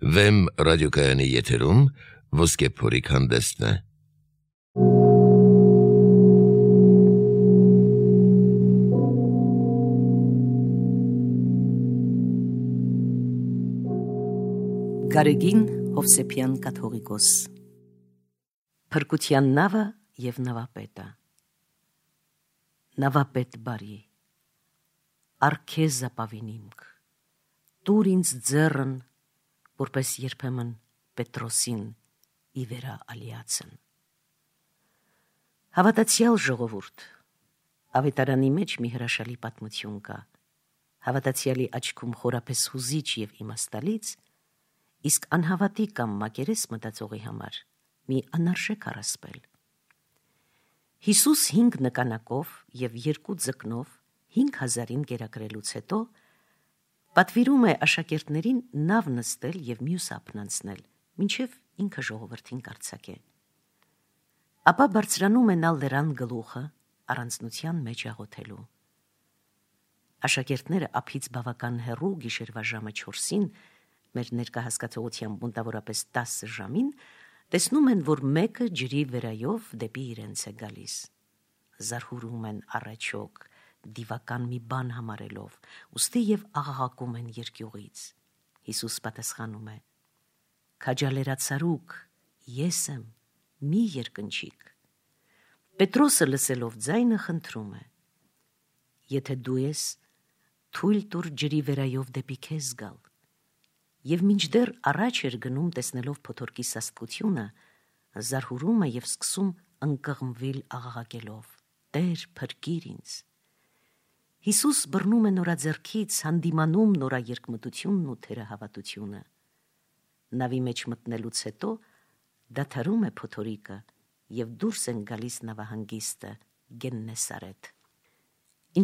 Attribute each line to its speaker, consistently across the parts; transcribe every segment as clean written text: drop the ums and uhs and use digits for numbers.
Speaker 1: Վեմ ռադիոկայանի եթերում ոսկե փորիկ հանդեսն է։
Speaker 2: Գարեգին Հովսեփյան կաթողիկոս Փրկության նավը և նավապետը։ Նավապետ բարի, արքեզ ապավինիմք, տուր ինձ ձեռն, որպես երբեմն Պետրոսին ի վերա ալիացն։ Հավատացյալ ժողովուրդ, ավետարանի մեջ մի հրաշալի պատմություն կա, հավատացյալի աչքում խորապես հուզիչ և իմաստալից, իսկ անհավատի կամ մակերես մտածողի համար մի անարժեք առասպել։ Հիսուս 5 նկանակով և 2 ձկնով 5000-ին կերակրելուց հետո պատվիրում է աշակերտներին նավ նստել և մյուս ափն անցնել, մինչև ինքը ժողովրդին կարձակե։ Ապա բարձրանում է նա լեռան գլուխը առանձնության մեջ աղոթելու։ Աշակերտները ափից բավական հեռու գիշերվա ժամը 4-ին, մեր ներկահասկացողությամբ մոտավորապես 10 ժամին, տեսնում են, որ մեկը ջրի վերայով դեպի իրենց է գալիս։ Զարհուրում են առաջոք, դիվական մի բան համարելով, ուստի և աղաղակում են երկյուղից։ Հիսուս պատասխանում է. «Քաջալերացարուք, ես եմ, մի երկնչիք»։ Պետրոսը լսելով ձայնը խնդրում է. «Եթե դու ես, թույլ տուր ջրի վերայով դեպի քեզ գալ»։ Եվ մինչդեռ առաջ էր գնում տեսնելով փոթորկի սաստկությունը, զարհուրում է և սկսում ընկղմվել աղաղակելով. «Տեր, փրկիր ինձ»։ Հիսուս բռնում է նորա ձեռքից, հանդիմանում նորա երկմտությունն ու թերահավատությունը։ Նավի մեջ մտնելուց հետո դադարում է փոթորիկը և դուրս են գալիս նավահանգիստը Գեննեսարեթ։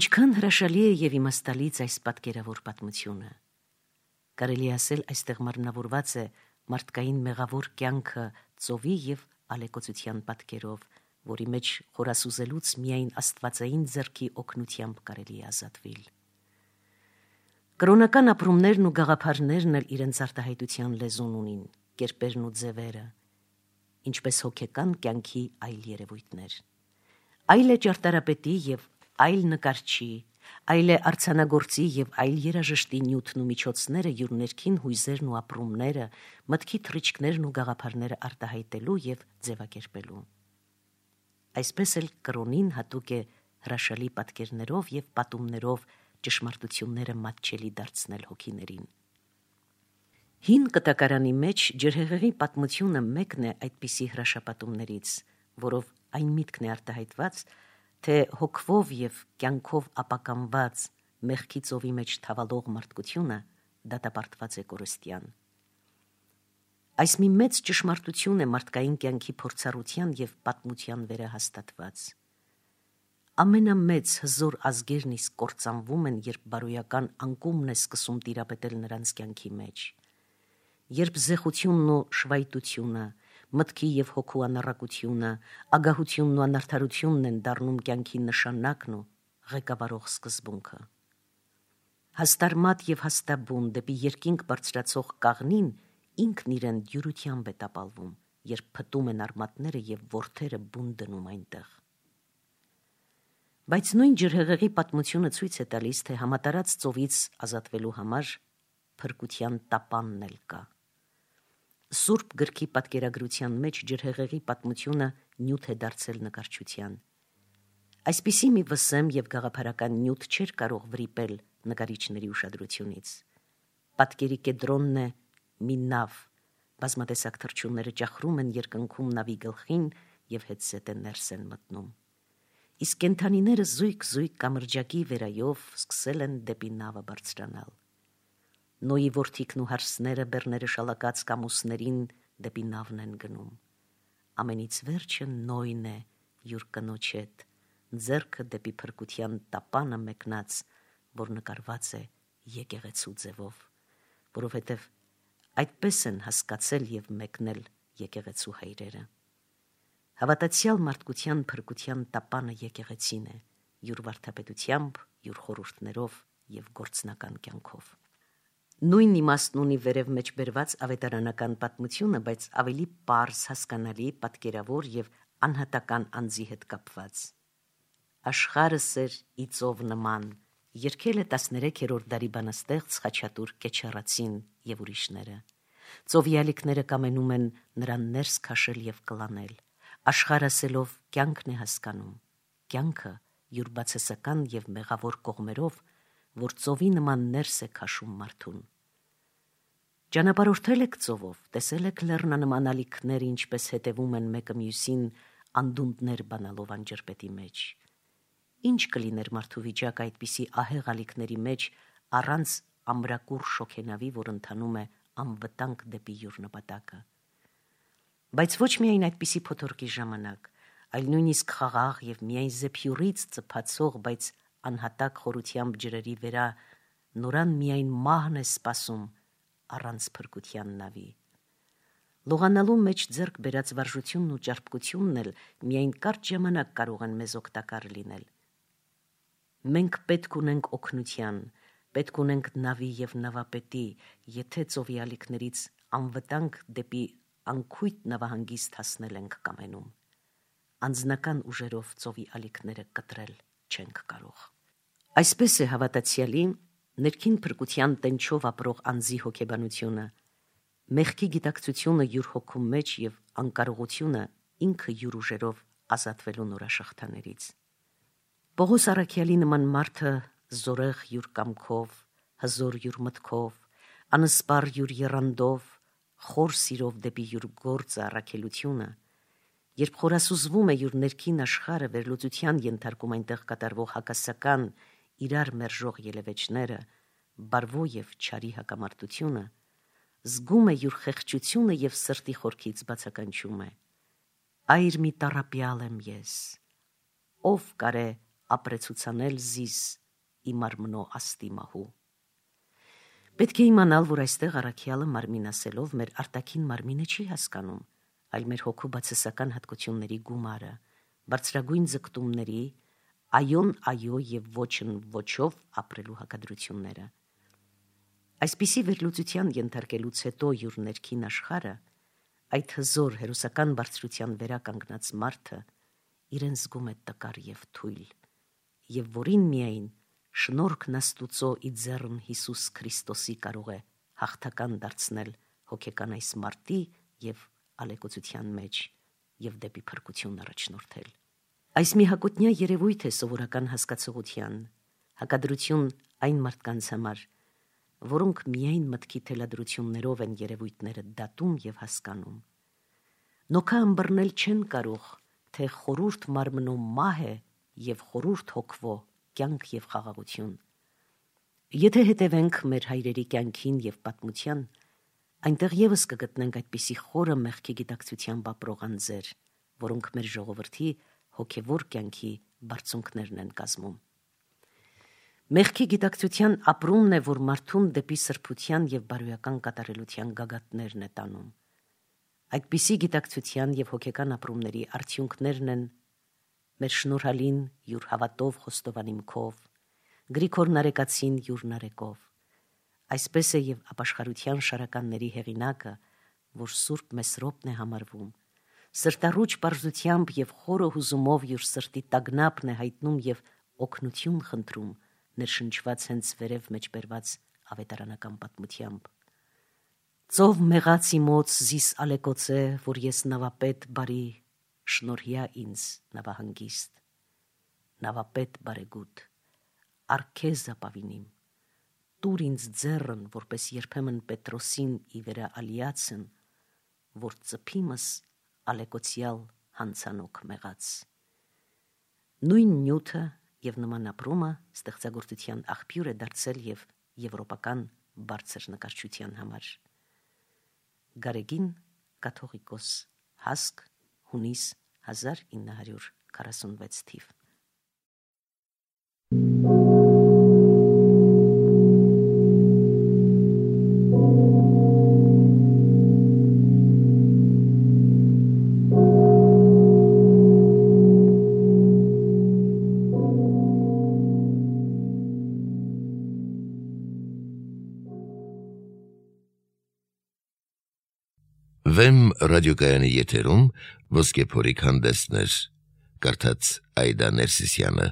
Speaker 2: Ինչքան հրաշալի է և իմաստալից այս պատկերավոր պատմությունը։ Կարելի ասել այստեղ մարմնավորված է մարդկային մեղավոր կյանքը ծովի և ալեկոծության պատկերով, որի մեջ խորասուզելուց միայն աստվածային ձեռքի օգնությամբ կարելի է ազատվել։ Կրոնական ապրումներն ու գաղափարներն էլ իրենց արտահայտության լեզուն ունին, կերպերն ու ձևերը, ինչպես հոգեկան կյանքի այլ երևույթներ։ Այլ է ճարտարապետի և այլ նկարչի, այլ է արձանագործի և այլ երաժշտի նյութն ու միջոցները յուր ներքին հույզերն ու ապրումները, մտքի թռիչքներն ու գաղափարները արտահայտելու և ձևակերպելու։ Այսպես էլ կրոնին հատուկ է հրաշալի պատկերներով և պատումներով ճշմարտությունները մատչելի դարձնել հոգիներին։ Հին կտակարանի մեջ ջրհեղեղի պատմությունը մեկն է այդպիսի հրաշապատումներից, որով այն միտքն է արտահայտված, թե հոգվով և կյանքով ապականված մեղքի ծովի մեջ թավալող մարդկությունը դատապարտված է կորստյան։ Այս մի մեծ ճշմարտություն է մարդկային կյանքի փորձառության և պատմության վերահաստատված։ Ամենամեծ հզոր ազգերն իսկ կործանվում են, երբ բարոյական անկումն է սկսում տիրապետել նրանց կյանքի մեջ, երբ զեղությունն ու շվայտությունը, մտքի և հոգու անառակությունը, ագահությունն ու անարդարությունն են դառնում կյանքի նշանակն ու ղեկավարող սկզբունքը։ Հաստարմատ և հաստաբուն դեպի երկինք բարձրացող կաղնին ինքն իրեն դյուրությամբ է տապալվում, երբ փտում են արմատները և որդերը բուն դնում այնտեղ։ Բայց նույն ջրհեղեղի պատմությունը ցույց է տալիս, թե համատարած ծովից ազատվելու համար փրկության տապանն էլ կա։ Սուրբ գրքի պատկերագրության մեջ ջրհեղեղի պատմությունը նյութ է դարձել նկարչության։ Այսպիսի մի վսեմ և գաղափարական նյութ չէր կարող վրիպել նկարիչների ուշադրությունից։ Պատկերի կենտրոնն է մի նավ, բազմատեսակ թռչունները ճախրում են երկնքում նավի գլխին և հետզհետե ներս են մտնում։ Իսկ կենդանիները զույգ-զույգ կամրջակի վերայով սկսել են դեպի նավը բարձրանալ։ Նոյի որդիքն ու հարսները բեռները շալակած կամուսներին դեպի նավն են գնում։ Ամենից վերջը Նոյն է յուր կնոջ հետ, ձեռքը դեպի փրկության տապանը մեկնած, որ նկարված է եկեղեցու ձևով, որովհետև այդպես են հասկացել և մեկնել եկեղեցու հայրերը։ Հավատացյալ մարդկության փրկության տապանը եկեղեցին է, յուր վարդապետությամբ, յուր խորհուրդներով և գործնական կյանքով։ Նույն իմաստն ունի վերև մեջ բերված ավետարանական պատմությունը, բայց ավելի պարզ, հասկանալի, պատկերավոր եւ անհատական անձի հետ կապված։ Աշխարհս էր ի ծով նման, երգել է 13-րդ դարի բանաստեղծ Խաչատուր Կեչարացին եւ ուրիշները։ Ծովի ալիքները կամենում են նրան ներս քաշել եւ կլանել։ Աշխարհասելով կյանքն է հասկանում, կյանքը յուր բացասական եւ մեղավոր կողմերով, որ ծովի նման ներս է քաշում մարդուն։ Ճանապարհորդել եք ծովով, տեսել եք լեռնանման ալիքները, ինչպես հետևում են մեկը մյուսին անդունդներ բանալով անջրպետի մեջ։ Ինչ կլիներ մարդու վիճակը այդպիսի ահեղ ալիքների մեջ առանց ամրակուր շոգենավի, որ ընթանում է անվտանգ դեպի յուր նպատակը։ Բայց ոչ միայն այդպիսի փոթորկի ժամանակ, այլ նույնիսկ խաղաղ եւ միայն զեփյուրից ծփացող, բայց անհատակ խորությամբ ջրերի վրա նորան միայն մահն է սպասում առանց փրկության նավի։ Լողանալու մեջ ձեռք բերած վարժությունն ու ճարպկությունն էլ միայն կարճ ժամանակ կարող են մեզ օգտակար լինել։ Մենք պետք ունենք օգնության, պետք ունենք նավի եւ նավապետի, եթե ծովի ալիքներից անվտանգ դեպի անքույտ նավահանգիստ հասնել ենք կամենում։ Անձնական ուժերով ծովի ալիքները կտրել չենք կարող։ Այսպես է հավատացյալի ներքին փրկության տենչով ապրող անձի հոգեբանությունը, մեղքի գիտակցությունը յուր հոգու մեջ եւ անկարողությունը ինքը յուր ուժերով ազատվելու նորաշղթաներից։ Պողոս առաքյալի նման մարդը զորեղ յուր կամքով, հզոր յուր մտքով, անսպար յուր եռանդով, խոր սիրով դեպի յուր գործը առաքելությունը, երբ խորասուզվում է յուր ներքին աշխարհը, վերլուծության ենթարկում այնտեղ կատարվող հակասական, իրար մերժող ելևէջները, բարվո եւ չարի հակամարտությունը, զգում է յուր խեղճությունը եւ սրտի խորքից բացականչում է. Այր մի տառապյալ եմ ես, ով կարե ապրեցուցանել զիս իմ արմնո աստի մահու։ Պետք է իմանալ, որ այստեղ առաքյալը մարմին ասելով մեր արտաքին մարմինը չի հասկանում, այլ մեր հոգու բացասական հատկությունների գումարը, բարձրագույն ձգտումների, այոն այո եւ ոչն ոչով ապրելու հակադրությունները։ Այսպիսի վերլուծության ենթարկելուց հետո յուր ներքին աշխարհը, այդ հզոր հերոսական բարձրության վրա կանգնած մարդը իրեն զգում է տկար եւ թույլ, եւ որին միայն շնորհքն Աստուծո ի ձեռն Հիսուս Քրիստոսի կարող է հաղթական դարձնել հոգեկան այս մարտի եւ ալեկոծության մեջ եւ դեպի փրկություն առաջնորդել։ Այս մի հակոտնյա երևույթ է սովորական հասկացողության, հակադրություն այն մարդկանց համար, որոնք միայն մտքի թելադրություններով են երևույթները դատում եւ հասկանում։ Նոքա ըմբռնել չեն կարող, թե խորուրդ մարմնո մահ է եւ խորուրդ հոգվո կյանք եւ խաղաղություն։ Եթե հետևենք մեր հայրերի կյանքին եւ պատմության, այնտեղ եւս կգտնենք այդպիսի խորը մեղքի գիտակցությամբ ապրող անձեր, որոնք մեր ժողովրդի հոգևոր կյանքի բարձունքներն են կազմում։ Մեղքի գիտակցության ապրումն է, որ մարդուն դեպի սրբության եւ բարոյական կատարելության գագաթներն է տանում։ Այդպիսի գիտակցության եւ հոգեկան ապրումների արդյունքներն են մեր շնորհալին յուր հավատով խոստովանիմքով, Գրիգոր Նարեկացին յուր նարեկով։ Այսպես է եւ ապաշխարության շարականների հեղինակը, որ Սուրբ Մեսրոպն է համարվում, սրտառուչ պարզությամբ եւ խորը հուզումով յուր սրտի տագնապն է հայտնում եւ օգնություն խնդրում, ներշնչված հենց վերև մեջ բերված ավետարանական պատմությամբ։ Ծով մեղացի մոց զիս ալեկոծե, որ ես նավապետ բարի, շնորհյա ինձ նավահանգիստ, նավապետ բարեգութ, արքեզ ապավինիմ, տուր ինձ ձեռն, որպես երբեմն Պետրոսին ի վերա ալիացն, որ ծփիմս ալեկոծյալ հանցանոք մեղած։ Նույն նյութը եւ նման ապրումը ստեղծագործության աղբյուր է դարձել եւ եվրոպական բարձր նկարչության համար։ Գարեգին կաթողիկոս, Հասկ, հունիս 1946 թիվ։
Speaker 1: Վեմ ռադիոկայանի եթերում ոսկեփորի հանդեսներ, կարդաց Այդա Ներսիսյանը։